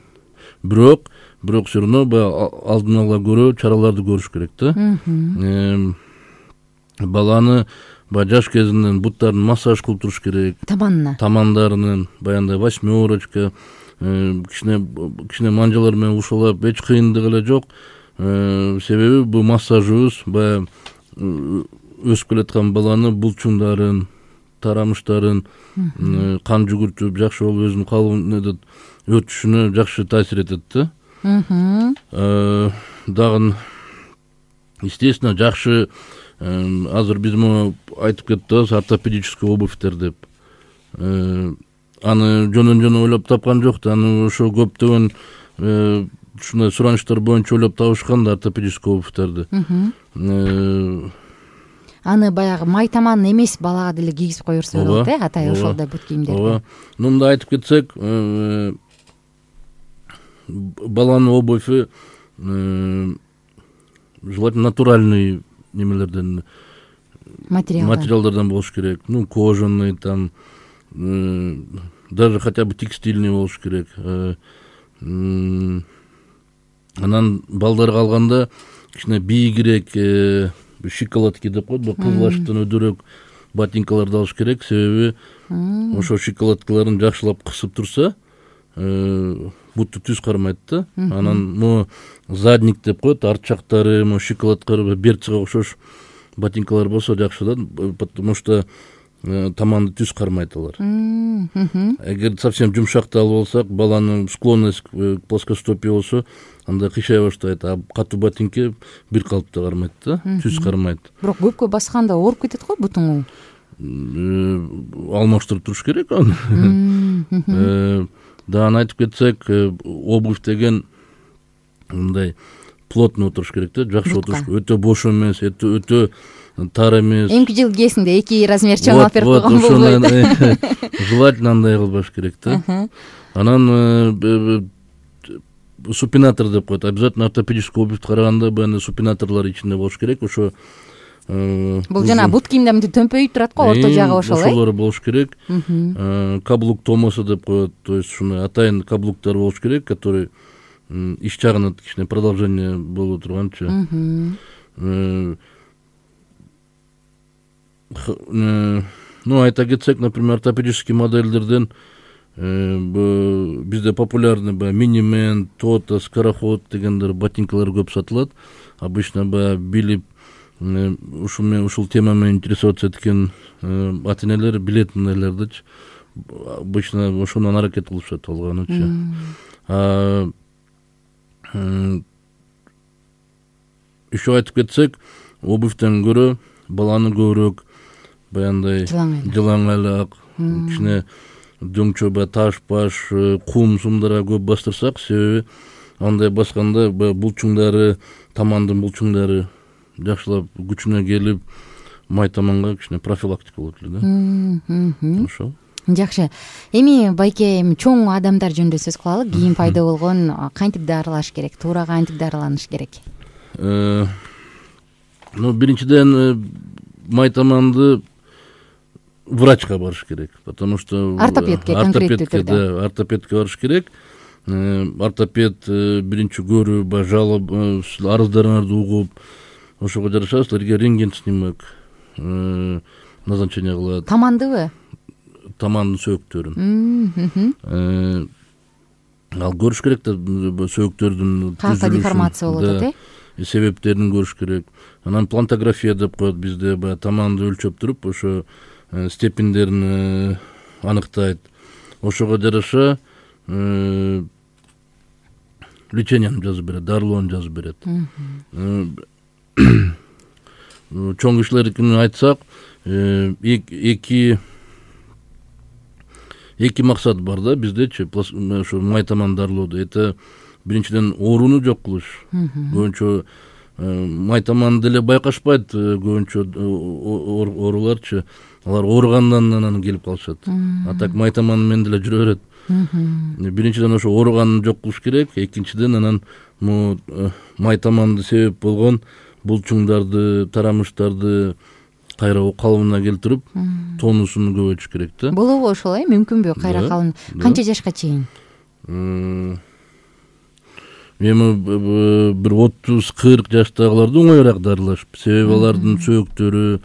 Бирок все равно алдын ала көрүү чараларды көрүш керек да. Баланы жаш кезинен буттарын массаж кылып туруш керек. Тамандарынын баягындай восьмерочка, кичине манжалар менен ушалап, эч кыйындык эле жок. Себеби бул массажыбыз баягы өсүп келаткан баланы булчундарын, тарамыштарын кан жүгүртүп, жакшы болуп өзүнүн калыбын өтүшүнө жакшы таасир этет да. Дагы естественно жакшы азыр биз муну айтып кеттибиз, ортопедический обувьтер деп. Аны жөнөн ойлоп тапкан жок да. Аны ошо көптөгөн ушундай суранычтар боюнча ойлоп табышкан да ортопедический обувьтерди. аны баягы май таман эмес балага деле кийгизип кое берсе болот атай ошолдой бут кийимдерди. ооба. Мындай айтып кетсек, баланын обувь желательно натуральный немелерден, материалдардан болуш керек. Кожаный там, даже хотя бы текстильный болуш керек. Анан балдарга алганда кичине бийигирээк шоколадки деп коет, кызылаштан өдөрөөк ботинкаларды алыш керек. Себеби ошо шоколадкаларын жакшылап кысып турса, бутту түз кармайт да. Анан задник деп коет, арт жактары шоколадка берцага окшош ботинкалар болсо жакшы да, потому что таманды түз кармайт алар. Эгер совсем жумшактуу алып алсак, баланын склонность к плоскостопию болсо, анда кыйшай баштайт. А катуу ботинке бир калыпта кармайт да, түз кармайт. Бирок көпкө басканда ооруп кетет го бутуңу. Алмаштырып туруш керек аны. Дагы айтып кетсек, обувь деген мындай плотно отуруш керек да, жакшы отуруш, өтө бош эмес, өтө тар эмес. Эмки жыл кесинде 2 размер чоң алып берип койгон болбойт. Желательно андай кылбаш керек да. Анан супинатор деп коет. Обязательно ортопедический обувь караганда баягы супинаторлор ичинде болуш керек. Ошо бул жана бут кийимде мынтип төмпөйүп турат го, орто жагы ошол. Ошолор болуш керек. Каблук томосу деп коет. То есть ушуну атайын каблуктар болуш керек, который иш жагына кичине продолжение боло турганчы. Айта кетсек, например, ортопедический модельдерден бизде популярный минимен, тота, скороход дегендер ботинкалар көп сатылат. Обычно билип ушул тема менен интересоваться эткен ата-энелер билет мындайлардычы. Обычно ошондон аракет кылышат алганычы. Еще айтып кетсек, обувьтен көрө баланы көбүрөөк баягындай жылаңайлак, кичине дөңчө таш баш, кум-сумдарга көп бастырсак, себеби андай басканда булчуңдары, тамандын булчуңдары жакшылап күчүнө келип, май таманга кичине профилактика болот эле да. Ошол. Жакшы. Эми байке чоң адамдар жөнүндө сөз кылалы. Кийим пайда болгон кантип дарылаш керек? Туура кантип дарыланыш керек? Биринчиден май таманды врачка барыш керек, потому что ортопедке барыш керек. Ортопед биринчи көрүп, жалоб, арыздарыңарды угуп, ошого жараша силерге рентген снимок назначение кылат. Тамандыбы? Тамандын сөөктөрүн. Ал көрүш керек да, сөөктөрдүн кайсы деформация болуп атат, себептерин көрүш керек. Анан плантография деп коет, бизде таманды өлчөп туруп, ошо степендерин аныктайт. Ошого жараша леченияны жазып берет, дарылоону жазып берет. Чоң кишилердикин айтсак, эки максат бар да биздечи, ошо май таман дарылоодо. Это биринчиден ооруну жок кылыш. Көбүнчө май таман деле байкашпайт, көбүнчө ооруларчы. Алар ооругандан анан келип калышат. А так май таман менен деле жүрө берет. Биринчиден ошо ооруганын жок кылыш керек. Экинчиден анан май таманды себеп болгон булчуңдарды, тарамыштарды кайра калыбына келтирип, тонусун көбөйтүш керек да. Болобу ошол, мүмкүнбү кайра калын? Канча жашка чейин? Эми бир 30-40 жаштагыларды оңоюраак дарылаш. Себеби алардын сөөктөрү,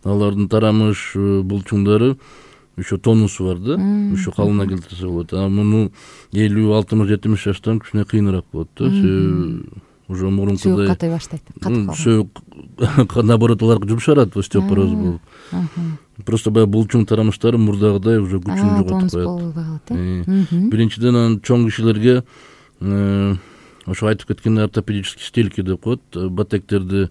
алардын тарамыш булчуңдары ошо тонусу бар да, ошо калыбына келтирсе болот. А муну 50-60-70 жаштан кичине кыйыныраак болот да. Уже мурункудай сөөк катай баштайт. Сөөк наоборот аларга жумшарат, остеопороз болуп. Просто булчуң тарамыштары мурдагыдай уже күчүн жоготуп коет. Биринчиден анан чоң кишилерге ошо айтып кеткен ортопедический стельки деп коет, батектерди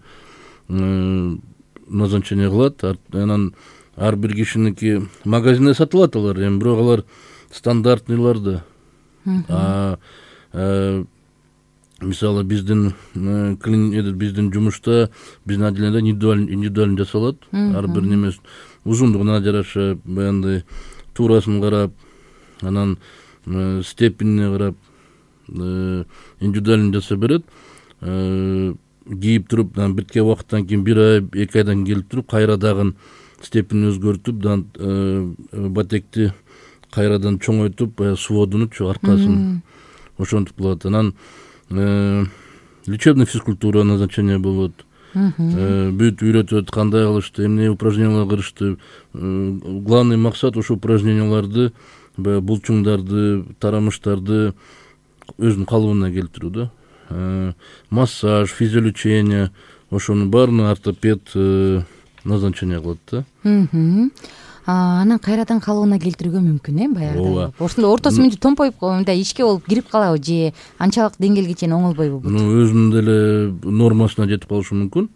назначение кылат. Анан ар бир кишиники магазинде сатылат алар, эми бирок алар стандартныйлар да. мисалы биздин жумушта биздин отделениеде индивидуально жасалат. Ар бир немес узундугуна жараша баягындай туурасын карап, анан степенине карап индивидуально жасап берет. Кийип туруп, бирке убакыттан кийин 1 ай 2 айдан келип туруп кайра дагы степенин өзгөртүп, батекти кайрадан чоңойтуп, сводунучу аркасын ошентип кылат. Анан лечебный физкультура назначение болот. Бүт үйрөтөт, кандай кылышты, эмне упражнениялар кылышты. Главный максат ошо упражненияларды, булчуңдарды, тарамыштарды өзүнүн калыбына келтирүү да. Массаж, физиолечение, ошонун баарына ортопед назначение кылат да. Анан кайрадан калыбына келтирүүгө мүмкүн, баягы. Ошондо ортосу мынтип томпоюп, мындай ичке болуп кирип калабы же анчалык деңгээлге чейин оңолбойбу бут? Өзүнүн деле нормасына жетип калышы мүмкүн.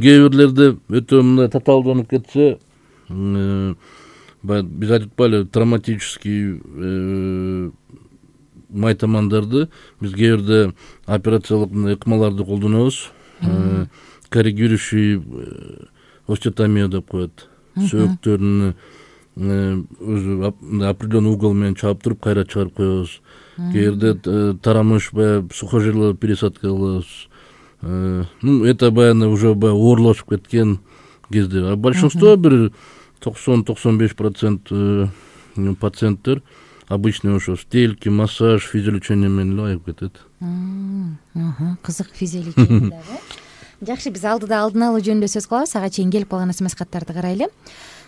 Кээ бирлерде өтө мындай татаалданып кетсе, биз айтып атпайлы, травматический майтамандарды биз кээ бирде операциялык ыкмаларды колдонобуз. Коррегирующий остеотомия деп коет. Сөөктөрүн өзү определенный угол менен чаап туруп кайра чыгарып коебуз. Кээ бирде тарамыш сухожилие пересадка кылабыз. Это баягы уже оорлошуп кеткен кезде. Большинство бир 90-95% пациенттер обычный ошо стельки, массаж, физиолечение менен эле айып кетет. Кызык физиолечение дагы. Жакшы, биз алдыда алдын алуу жөнүндө сөз кылабыз. Ага чейин келип калган смс каттарды карайлы.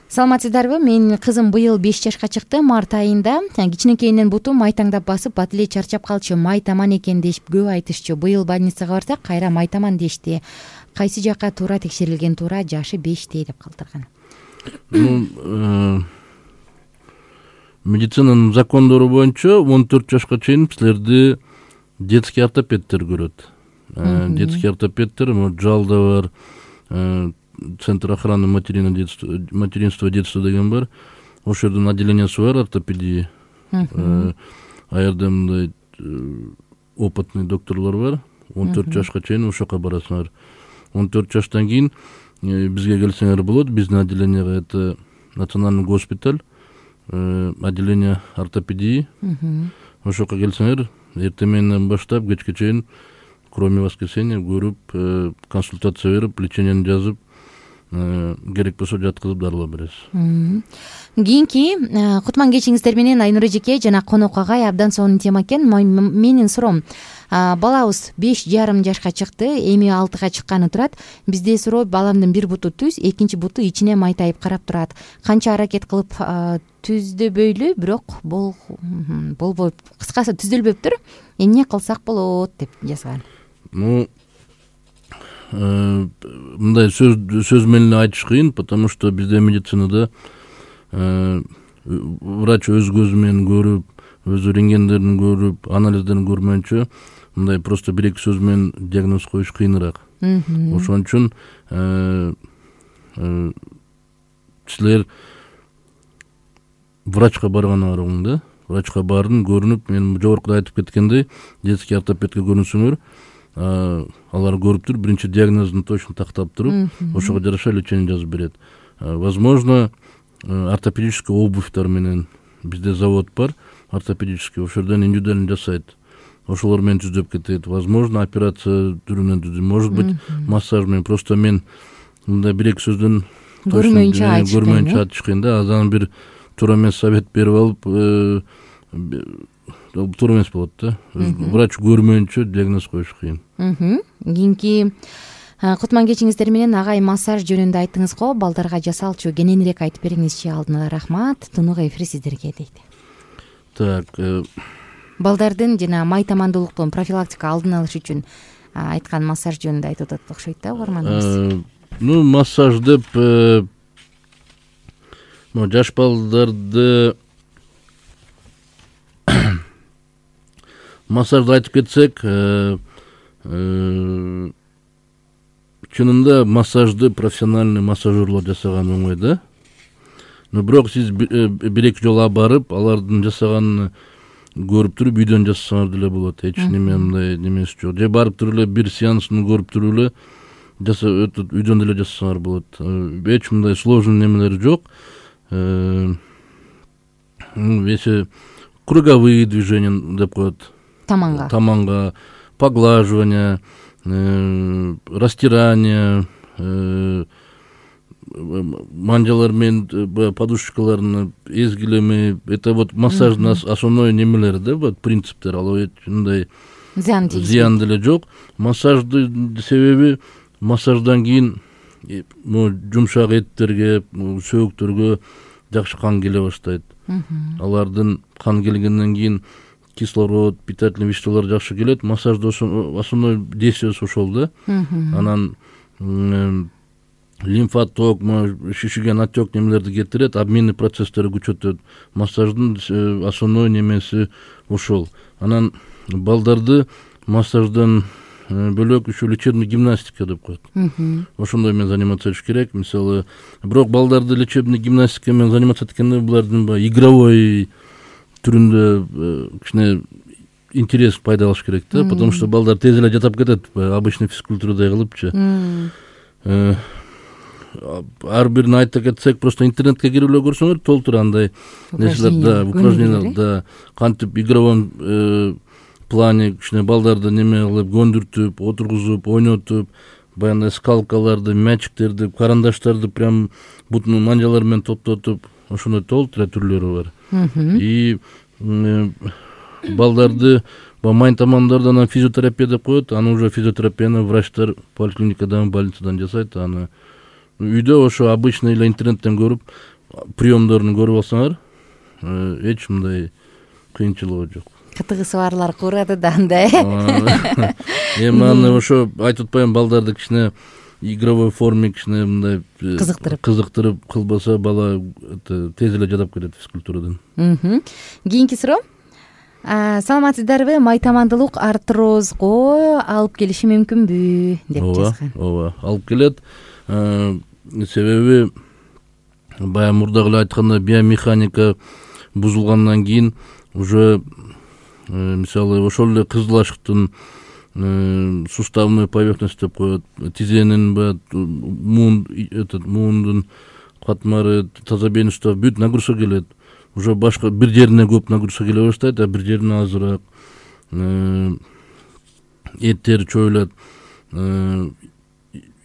Саламатсыздарбы? Менин кызым быйыл 5 жашка чыкты. Март айында кичинекейинен буту майтаңдап басып, бат эле чарчап калчу. Майтаман экен деп көп айтышчу. Быйыл больницага барсак, кайра майтаман дешти. Кайсы жакка туура текшерилген туура? Жашы 5 деп калтырган. Медицинанын закондору боюнча 14 жашка чейин силерди детский ортопедтер көрөт. Детский ортопедтер, Жалда бар, Центр охраны материнства детства деген бар. Ошол жердин отделениясы бар ортопедии. Аерде мындай опытный докторлор бар. 14 жашка чейин ошока барасыңар. 14 жаштан кийин бизге келсеңер болот. Биздин отделенияга это национальный госпиталь, отделение ортопедии. Ошока келсеңер, эртең менен баштап кечке чейин, кроме воскресенья, көрүп, консультация берип, лечениени жазып, керек болсо жаткызып дарылап бересиз. Кийинки кутман кечиңиздер менен Айнур эжеке жана конок агай абдан сонун тема экен. Менин суроом, балабыз 5,5 жашка чыкты, эми 6га чыкканы турат. Бизде суроо, баламдын бир буту түз, экинчи буту ичине майтайып карап турат. Канча аракет кылып түздөбөйлү, бирок болбойт. Кыскасы түзөлбөптүр. Эмне кылсак болот деп жазган. Мындай сөз менен айтыш кыйын, потому что бизде медицинада врач өз көзү менен көрүп, өз рентгендерин көрүп, анализдерин көрмөйүнчө мындай просто 1-2 сөз менен диагноз коюш кыйыныраак. Ошон үчүн силер врачка барганы аргың да. Врачка бардым, көрүнүп, мен жогоркуда айтып кеткендей, детский ортопедке көрүнсөңөр, алар көрүп туруп, биринчи диагнозун точно тактап туруп, ошого жараша лечение жазып берет. Возможно, ортопедический обувьтар менен бизде завод бар, ортопедический, ошол жерден индивидуально жасайт. Ошолор менен түздөп кетет. Возможно, операция түрүнөн түзөт. Может быть, массаж менен. Просто мен мындай 1-2 сөздөн көрмөйүнчө айтыш кыйын да. Азан бир туура эмес совет берип алып, туура эмес болот да. Врач көрмөйүнчө диагноз коюш кыйын. Кийинки кутман кечиңиздер менен агай массаж жөнүндө айттыңыз го, балдарга жасалчу, кененирээк айтып бериңизчи. Алдын ала рахмат. Тунук эфир сиздерге дейт. Так, балдардын жана майтамандуулуктун профилактика алдын алыш үчүн айткан массаж жөнүндө айтып атат окшойт да угарманыбыз. Массаж деп жаш балдарды массажды айтып кетсек, чынында массажды профессиональный массажерлор жасаган оңой да. Но бирок сиз 1-2 жолу барып, алардын жасаганын көрүп туруп үйдөн жасасаңар деле болот, эч неме мындай немеси жок. Же барып туруп эле бир сеансын көрүп туруп эле үйдөн деле жасасаңар болот. Эч мындай сложный немелери жок. Эсе круговые движения деп коет. Таманга, поглаживание, растирание, манжалар менен подушкаларын эзгилеме. Это вот массаждын основной немелери да, вот принциптер. Ал мындай зыян деле жок. Массаждын себеби массаждан кийин жумшак эттерге, сөөктөргө жакшы кан келе баштайт. Алардын кан келгенден кийин кислород, питательный веществолор жакшы келет. Массажда основной действиеси ошол да. Анан лимфоток, шишиген отек немелерди кетирет, обменный процесстери күчөтөт. Массаждын основной немеси ошол. Анан балдарды массаждан бөлөк еще лечебный гимнастика деп коет. Ошондой менен заниматься этиш керек. Мисалы, бирок балдарды лечебный гимнастика менен заниматься эткенде булардын игровой түрүндө кичине интерес пайда алыш керек да, потому что балдар тез эле жатап кетет, обычный физкультурадай кылыпчы. Ар бирин айта кетсек, просто интернетке кирип эле көрсөңөр толтура андай нерселер, упражнениялар, да, кантип игровом плане кичине балдарды неме кылып көндүртүп, отургузуп, ойнотуп, баягы скалкаларды, мячиктерди, карандаштарды прям бутун манжалар менен топтотуп, ошондой толтура түрлөрү бар. И балдарды майн тамамдардан физиотерапия деп коет, аны уже физиотерапияны врачтар поликлиникадан, больницадан жасайт. Аны үйдө ошо обычный эле интернеттен көрүп, приемдорун көрүп алсаңар, эч мындай кыйынчылыгы жок. Кытыгысы барлар курады да андай. Эми аны ошо айтып атпайм, балдарды кичине игровой форме кичине мындай кызыктырып кылбаса, бала тез эле жатап кетет физкультурадан. Кийинки суроо. Саламатсыздарбы? Майтамандуулук артрозго алып келиши мүмкүнбү деп жазган. Ооба, алып келет. Себеби баягы мурдагы эле айткандай биомеханика бузулгандан кийин уже мисалы ошол эле кызыл ашыктын суставной поверхность деп коет, тизенин муундун катмары, тазобейный сустав бүт нагрузка келет. Уже башка бир жерине көп нагрузка келе баштайт, а бир жерине азыраак. Эттер чоюлат.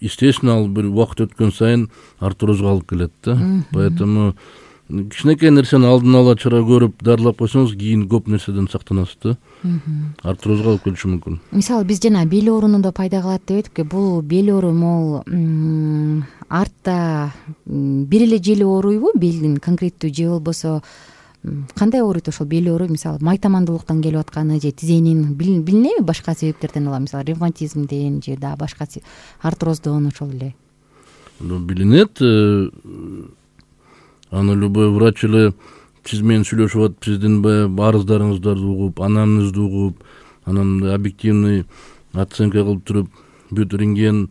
Естественно, ал бир убакыт өткөн сайын артрозго алып келет да. Поэтому кичинекей нерсени алдын ала чара көрүп, дарылап койсоңуз, кийин көп нерседен сактанасыз да. Артрозго алып келиши мүмкүн. Мисалы, биз жана бел ооруну да пайда кылат деп эдик. Бул бел оору могул артта бир эле жери ооруйбу, белдин конкреттүү, же болбосо кандай ооруйт ошол бел оору? Мисалы, майтамандуулуктан келип атканы же тизенин билинеби башка себептерден ала, мисалы, ревматизмден же да башка артроздон ошол эле. Билинет. Аны любой врач эле сиз менен сүйлөшүп атып, сиздин арыздарыңызды угуп, анамнезди угуп, анан объективный оценка кылып туруп, бүт рентген,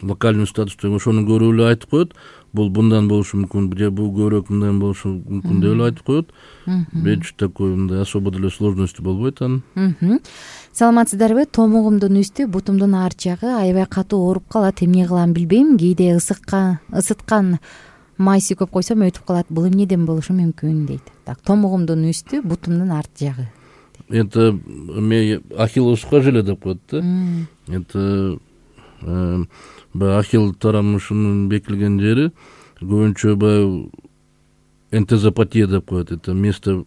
локальный статус деген ошону көрүп эле айтып коет. Бул bundan болушу мүмкүн, же бул көбүрөөк мындан болушу мүмкүн деп эле айтып коет. Эч такой мындай особо деле сложности болбойт анын. Саламатсыздарбы? Томугумдун үстү, бутумдун ар жагы аябай катуу ооруп калат. Эмне кылам билбейм. Кээде ысыткан май сүйкөп койсом өтүп калат. Бул эмнеден болушу мүмкүн дейт. Так, томугумдун үстү, бутумдун арт жагы. Это ахиллос сухожилие деп коет да. Это ахилл тарамышынын бекилген жери көбүнчө энтезопатия деп коет. Это место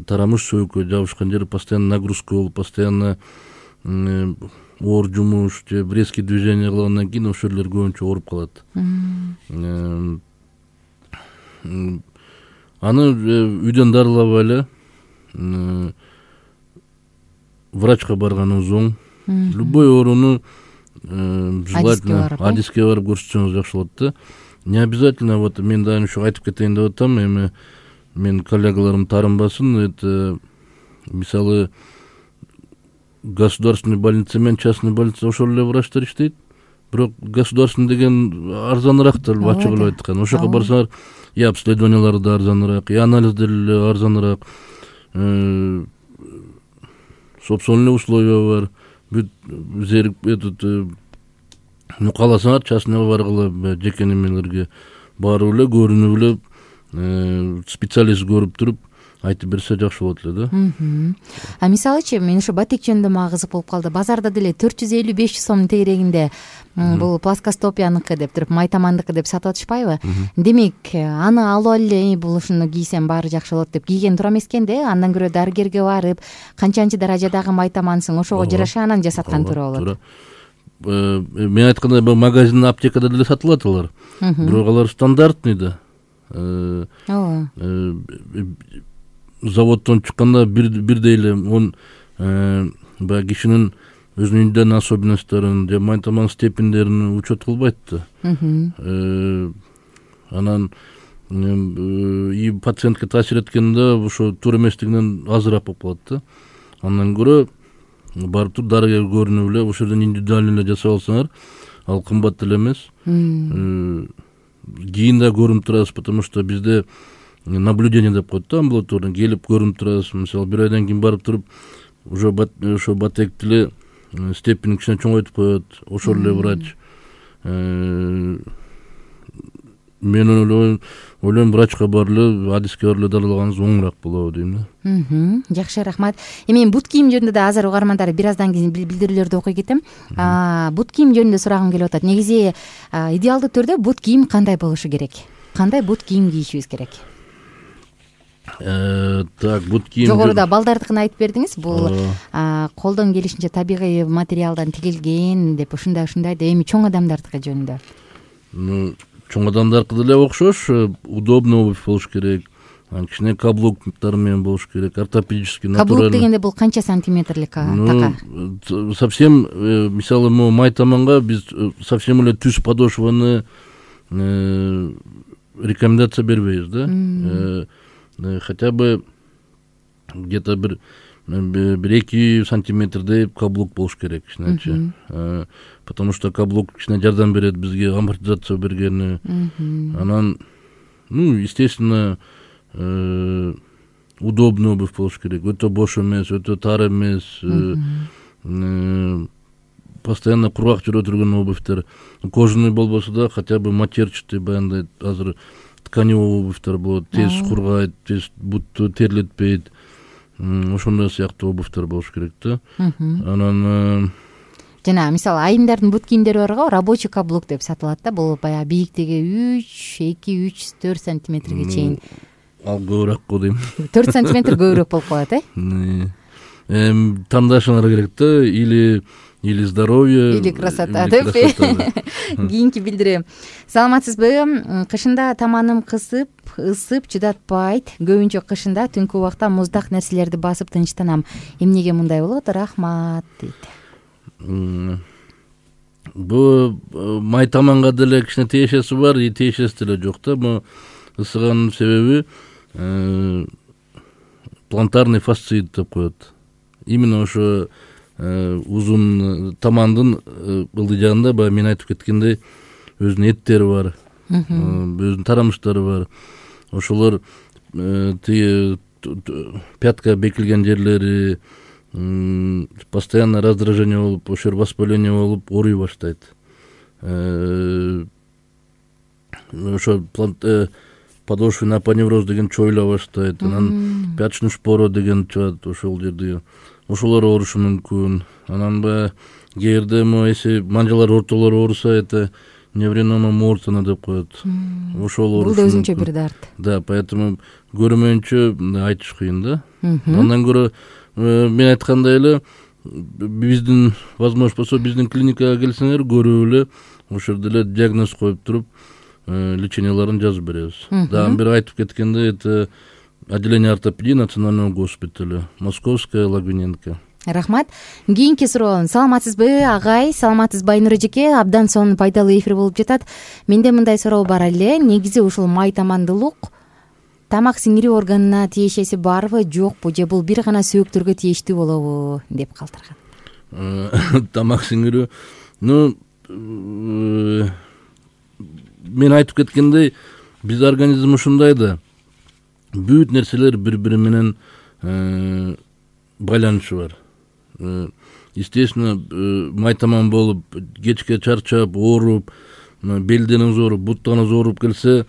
тарамыш сөөккө жабышкан жери постоянно нагрузка болуп, постоянно оор жумуш же резкий движение кылгандан кийин ошол жерлер көбүнчө ооруп калат. Аны үйдөн дарылабай эле врачка барганыңыз оң. Любой ооруну желательно адиске барып көрсөтсөңүз жакшы болот да. Не обязательно, вот мен дайым ушу айтып кетейин деп атам, эми мен коллегаларым таарынбасын, это мисалы государственный больница менен частный больница ошол эле врачтар иштейт. бирок государственный деген арзаныраак деле ачык эле айткан. Ошол жака барсаңар и обследованиялары да арзаныраак, и анализдер эле арзаныраак, собственный условия бар. Бүт кааласаңар частныйга баргыла, жеке немелерге барып эле көрүнүп эле специалист көрүп туруп айтып берсе жакшы болот эле да. Мисалычы мен ошо батек жөнүндө мага кызык болуп калды. Базарда деле 450-500 сомдун тегерегинде бул плоскостопияныкы деп туруп, майтамандыкы деп сатып атышпайбы? Демек, аны алып алып бул ушуну кийсем баары жакшы болот деп кийген туура эмес экен да. Андан көрө дарыгерге барып, канчанчы даражадагы майтамансың, ошого жараша анан жасаткан туура болот. Мен айткандай, бул магазин, аптекада деле сатылат алар. Бирок алар стандартный да. Заводдон чыкканда бирдей эле баягы кишинин өзүнүн үйдөн особенностторун же майтаман степендерин учет кылбайт да. Анан и пациентке таасир эткенде ошо туура эместигинен азыраак болуп калат да. Андан көрө барып туруп дарыгер көрүнүп эле ошол жерден индивидуально эле жасап алсаңар, ал кымбат деле эмес. Кийин да көрүнүп турасыз, потому что бизде наблюдение деп коет да, амбулаториядан келип көрүнүп турасыз. Мисалы, бир айдан кийин барып туруп уже ошо батекти эле степени кичине чоңойтуп коет, ошол эле врач. Мен ойлойм врачка барып эле, адиске барып эле дарылаганыңыз оңураак болобу дейм да. Жакшы, рахмат. Эми бут кийим жөнүндө да азыр угармандар бир аздан кийин билдирүүлөрдү окуй кетем. Бут кийим жөнүндө сурагым келип атат. Негизи идеалдуу түрдө бут кийим кандай болушу керек? Кандай бут кийим кийишибиз керек? Так, бут кийим жогоруда балдардыкын айтып бердиңиз. Бул колдон келишинче табигый материалдан тигилген деп, ушундай деп. Эми чоң адамдардыкы жөнүндө? Чоң адамдаркы деле окшош, удобный обувь болуш керек. Кичине каблуктар менен болуш керек, ортопедический, натуральный. Каблук дегенде бул канча сантиметрлик така? Совсем, мисалы, майтаманга биз совсем эле түз подошваны рекомендация бербейбиз да. Хотя бы где-то бир 2 сантиметрдей каблук болуш керек кичинечи. Потому что каблук кичине жардам берет бизге амортизация бергени. Анан, естественно, удобный обувь болуш керек. Өтө бош эмес, өтө тар эмес. Постоянно кургак жүрө турган обувьтер. Кожаный болбосо да, хотя бы матерчатый, баягындай азыр тканевый обувьтер болот, тез кургайт, тез бутту терлетпейт. Ошондой сыяктуу обувьтер болуш керек да. Анан жана мисалы айымдардын бут кийимдери бар го, рабочий каблук деп сатылат да. Бул баягы бийликтиги 2-3-4 сантиметрге чейин. Ал көбүрөөк го дейм. 4 сантиметр көбүрөөк болуп калат, тандашыңар керек да, или здоровье, или красота деп. Кийинки билдирем. Саламатсызбы? Кышында таманым кысып, ысып чыдатпайт. Көбүнчө кышында түнкү убакта муздак нерселерди басып тынчтанам. Эмнеге мындай болот? Рахмат дейт. Бу майтаманга деле кичине тиешеси бар, и тиешеси деле жок да. Бу ысыганын себеби плантарный фасциит деп коет. Именно ошо узун тамандын ылдыйжагында, баягы мен айтып кеткендей, өзүнүн эттери бар, өзүнүн тарамыштары бар. Ошолор тиги пятка бекилген жерлери постоянно раздражение болуп, ошол воспаление болуп, ооруй баштайт. Ошо подошвенный апоневроз деген чоюла баштайт. Анан пяточный шпора деген чыгат ошол жерде. Ошолор оорушу мүмкүн. Анан кээ бирде эси манжалар ортолору ооруса, это невренoma мортона деп коет. Ошол оорушу. Бул да өзүнчө бир дарт. Да, поэтому көрмөйүнчө айтыш кыйын да. Андан көрө мен айткандай эле, биздин возможно болсо биздин клиникага келсеңер, көрүп эле ошол жерде эле диагноз коюп туруп, леченияларын жазып беребиз. Дагы бир айтып кеткенде, это отделение ортопедии национального госпиталя, Московская, Логвиненко. Рахмат. Кийинки суроо. Саламатсызбы, агай? Саламатсызбы, Айнур эжеке? Абдан сонун пайдалуу эфир болуп жатат. Менде мындай суроо бар эле. Негизи ушул майтамандылык тамак сиңирүү органына тиешеси барбы, жокпу, же бул бир гана сөөктөргө тийиштүү болобу деп калтырган. Тамак сиңирүү, мен айтып кеткендей биз организм ушундай да, бүт нерселер бири бири менен байланышы бар. Естественно, майтаман болуп, кечке чарчап, ооруп, белдениңиз ооруп, буттарыңыз ооруп келсе,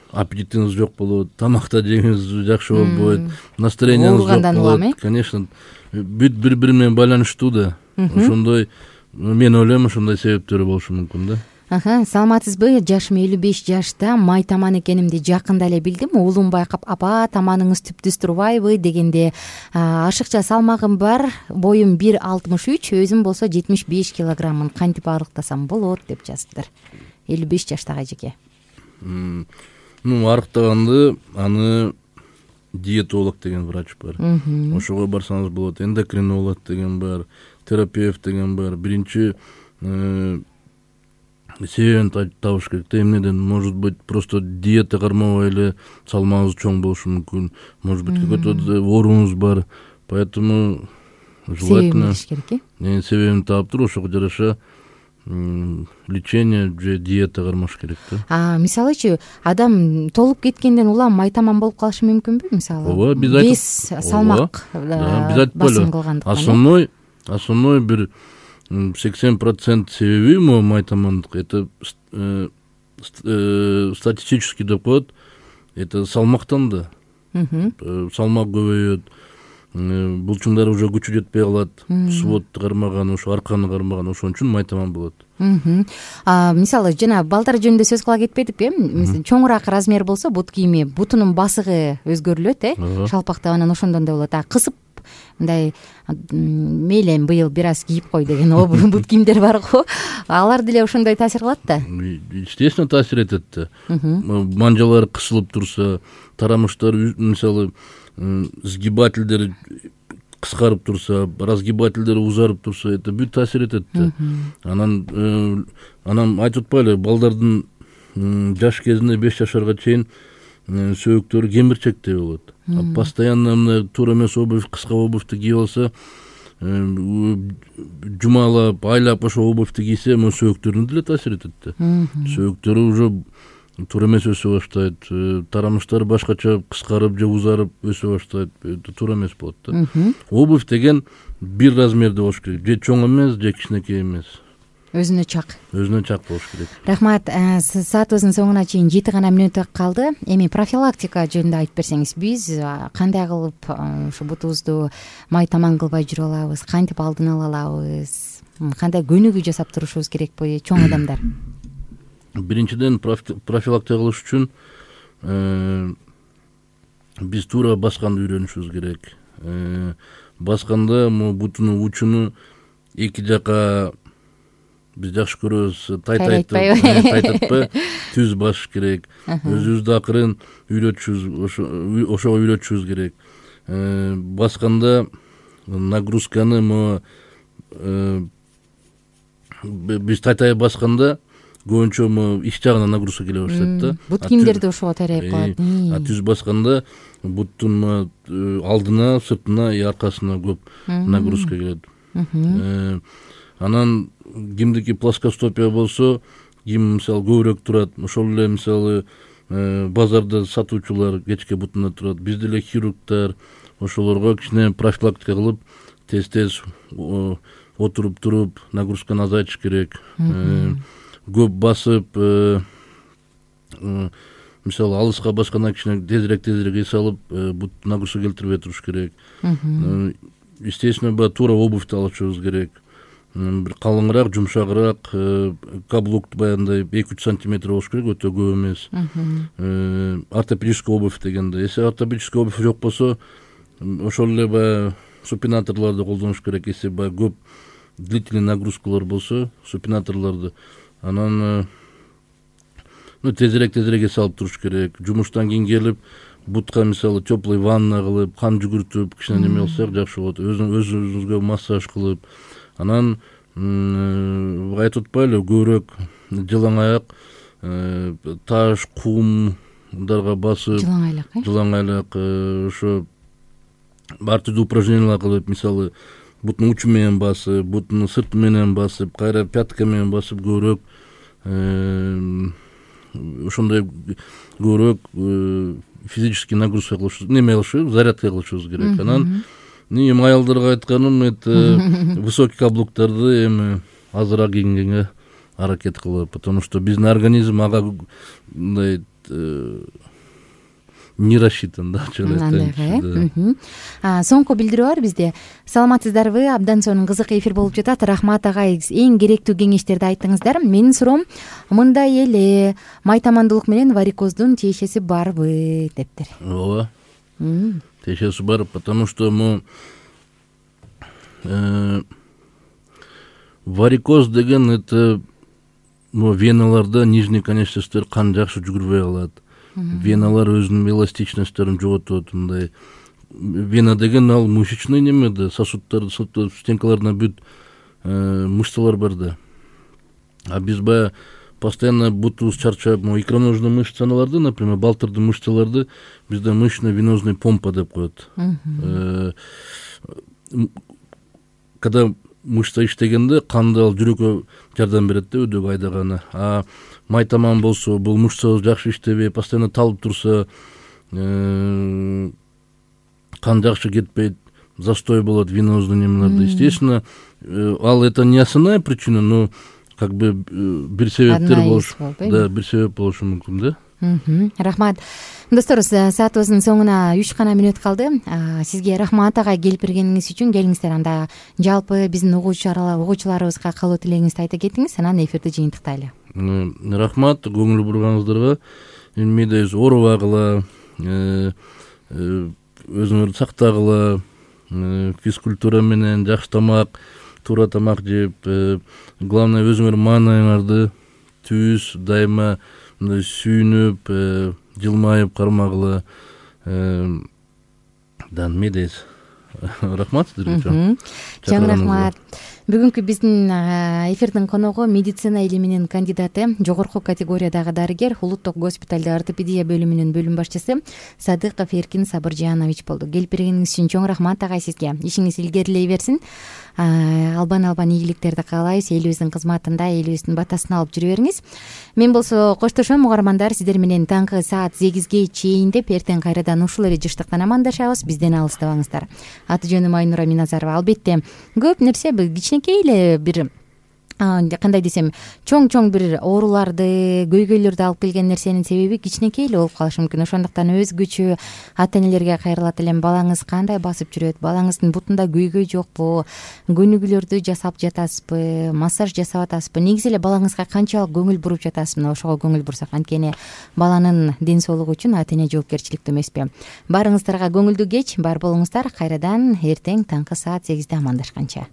аппетитиңиз жок болот, тамакта жегиңиз жакшы болбойт, настроениеңиз жок болот. Конечно, бүт бири бири менен байланыштуу да. Ошондой, мен ойлойм, ошондой себептери болушу мүмкүн да. Саламатсызбы? Жашым 55 жашта, май таман экенимди жакында эле билдим. Уулум байкап, апа, таманыңыз түптүз турбайбы дегенде, ашыкча салмагым бар, боюм 1,63, өзүм болсо 75 килограммын, кантип арыктасам болот деп жазыптыр. 55 жаштагы эжеке. Арыктаганды аны диетолог деген врач бар. Ошого барсаңыз болот. Эндокринолог деген бар, терапевт деген бар. Биринчи себебин табыш керек. Эмнеден? Может быть, просто диета кармабай эле салмагыңыз чоң болушу мүмкүн. Может быть, какой-то ооруңуз бар. Поэтому желательно себебин таап туруп, ошого жараша лечение же диета кармаш керек да. Мисалычы, адам толуп кеткенден улам майтаман болуп калышы мүмкүнбү? Мисалы, ооба, биз вес салмак басым кылгандыктан. Основной бир 80% себеби майтамандык, это статистически деп коет, это салмактан да. Салмак көбөйөт, булчуңдар уже күчү жетпей калат, сводду кармаган, ошо арканы кармаган, ошон үчүн майтаман болот. Мисалы, жана балдар жөнүндө сөз кыла кетпедик, чоңураак размер болсо бут кийими, бутунун басыгы өзгөрүлөт, шалпактап, анан ошондон да болот. Кысып мындай мейли эми быйыл бир аз кийип кой деген бут кийимдер бар го, алар деле ошондой таасир кылат да. Естественно, таасир этет да. Манжалар кысылып турса, тарамыштар, мисалы, сгибательдер кыскарып турса, разгибательдер узарып турса, это бүт таасир этет да. Анан айтып атпайлы, балдардын жаш кезинде 5 жашарга чейин сөөктөрү кемирчектей болот. Постоянно мына туура эмес обувь, кыска обувьту кийип алса, жумалап, айлап ошо обувьту кийсе, мына сөөктөрүнө деле таасир этет да. Сөөктөрү уже туура эмес өсө баштайт, тарамыштар башкача кыскарып же узарып өсө баштайт, туура эмес болот да. Обувь деген бир размерде болуш керек, же чоң эмес, же кичинекей эмес. Өзүнө чак болуш керек. Рахмат. Саатыбыздын соңуна чейин 7 гана мүнөт калды. Эми профилактика жөнүндө айтып берсеңиз, биз кандай кылып ушу бутубузду майтаман кылбай жүрө алабыз, кантип алдын ала алабыз, кандай көнүгүү жасап турушубуз керекпи чоң адамдар? Биринчиден, профилактика кылыш үчүн биз туура басканды үйрөнүшүбүз керек. Басканда бутунун учуну эки жака биз жакшы көрөбүз, тайтатпай түз басыш керек. Өзүбүздү акырын үйрөтүшүбүз, ошого үйрөтүшүбүз керек. Басканда нагрузканы биз тайтай басканда көбүнчө ич жагына нагрузка келе баштайт да. Бут кийимдерди ошого тайрайып калат. Түз басканда буттун алдына, сыртына, аркасына көп нагрузка келет. Анан кимдики плоскостопия болсо, ким мисалы көбүрөөк турат, ошол эле мисалы базарда сатуучулар кечке бутунда турат. Биз деле хирургдар ошолорго кичине профилактика кылып, тез отуруп туруп нагрузканы азайтыш керек. Көп басып, мисалы алыска баскандан кичине тезирээк эс алып, бут нагрузка келтирбей туруш керек. Естественно, туура обувьту алышыбыз керек. Бир калыңыраак, жумшагыраак, каблук баягындай 2-3 сантиметр болуш керек, өтө көп эмес. Ортопедический обувь дегенде, если ортопедический обувь жок болсо, ошол эле баягы супинаторлорду колдонуш керек. Если баягы көп длительный нагрузкалар болсо, супинаторлорду, анан тезирээк эс алып туруш керек. Жумуштан кийин келип, бутка мисалы теплый ванна кылып, кан жүгүртүп, кичине неме кылсак жакшы болот. Өзүбүзгө массаж кылып, анан айтып атпайлы, көбүрөөк жылаң аяк, таш, кумдарга басып, жылаң айлак, ошо ар түрдүү упражнениялар кылып, мисалы бутун учу менен басып, бутун сырты менен басып, кайра пятка менен басып көбүрөөк ошондой көбүрөөк физический нагрузка кылышыбыз, неме кылышыбыз, зарядка кылышыбыз керек. Анан эми аялдарга айтканым, это высокий каблуктарды эми азыраак кийгенге аракет кылып, потому что биздин организм ага мындай не рассчитан да. Соңку билдирүү бар бизде. Саламатсыздарбы? Абдан сонун кызык эфир болуп жатат. Рахмат агай, эң керектүү кеңештерди айттыңыздар. Менин суроом мындай эле: майтамандуулук менен варикоздун тиешеси барбы дептир. Ооба. Тиешеси бар, потому что варикоз деген это веналарда нижний конечностьтер кан жакшы жүгүрбөй калат. Веналар өзүнүн эластичностьтөрүн жоготот. Мындай вена деген ал мышечный неме да, сосуддар, стенкаларына бүт мышцалар бар да. А биз баягы постоянно бутубуз чарчап, икроножный мышцаларды, например, балтырдын мышцаларды бизде мышечно-венозный помпа деп коет. Когда мышца иштегенде канды ал жүрөккө жардам берет да, өдөгө айдаганы. А майтаман болсо, бул мышцабыз жакшы иштебей, постоянно талып турса, кан жакшы кетпейт, застой болот венозный немелерде. Естественно, ал это не основная причина, но как бы бир себептер болуш, да, бир себеп болушу мүмкүн да. Рахмат. Достор, саатыбыздын соңуна 3 гана мүнөт калды. Сизге рахмат агай, келип бергениңиз үчүн. Келиңиздер, анда жалпы биздин угуучуларыбызга калуу тилегиңизди айта кетиңиз, анан эфирди жыйынтыктайлы. Рахмат, көңүл бурганыңыздарга. Мээде оорубагыла, өзүңөрдү сактагыла, физкультура менен жакшы тамак, туура тамак жеп, главное өзүңөр маанайыңарды түз дайыма сүйүнүп, жылмайып кармагыла. Да, мээдейиз. Рахмат сиздерге. Чоң рахмат. Бүгүнкү биздин эфирдин коногу медицина илиминин кандидаты, жогорку категориядагы дарыгер, улуттук госпиталда ортопедия бөлүмүнүн бөлүм башчысы Садыков Эркин Сабыржанович болду. Келип бергениңиз үчүн чоң рахмат агай сизге. Ишиңиз илгерилей берсин. Албан ийгиликтерди каалайбыз. Элибиздин кызматында элибиздин батасын алып жүрө бериңиз. Мен болсо коштошом, угармандар. Сиздер менен таңкы саат 8ге чейин деп эртең кайрадан ушул эле жыштыктан амандашабыз. Бизден алыстабаңыздар. Аты жөнүм Айнура Миназарова. Албетте көп нерсе кичинекей эле бир кандай десем, чоң бир ооруларды, көйгөйлөрдү алып келген нерсенин себеби кичинекей эле болуп калышы мүмкүн. Ошондуктан өзгөчө ата-энелерге кайрылат элем. Балаңыз кандай басып жүрөт? Балаңыздын бутунда көйгөй жокпу? Көнүгүүлөрдү жасап жатасызбы? Массаж жасап атасызбы? Негизи эле балаңызга канчалык көңүл буруп жатасыз? Мына ошого көңүл бурсак, анткени баланын ден соолугу үчүн ата-эне жоопкерчиликтүү эмеспи? Барыңыздарга көңүлдүү кеч, бар болуңуздар. Кайрадан эртең таңкы саат 8де амандашканча.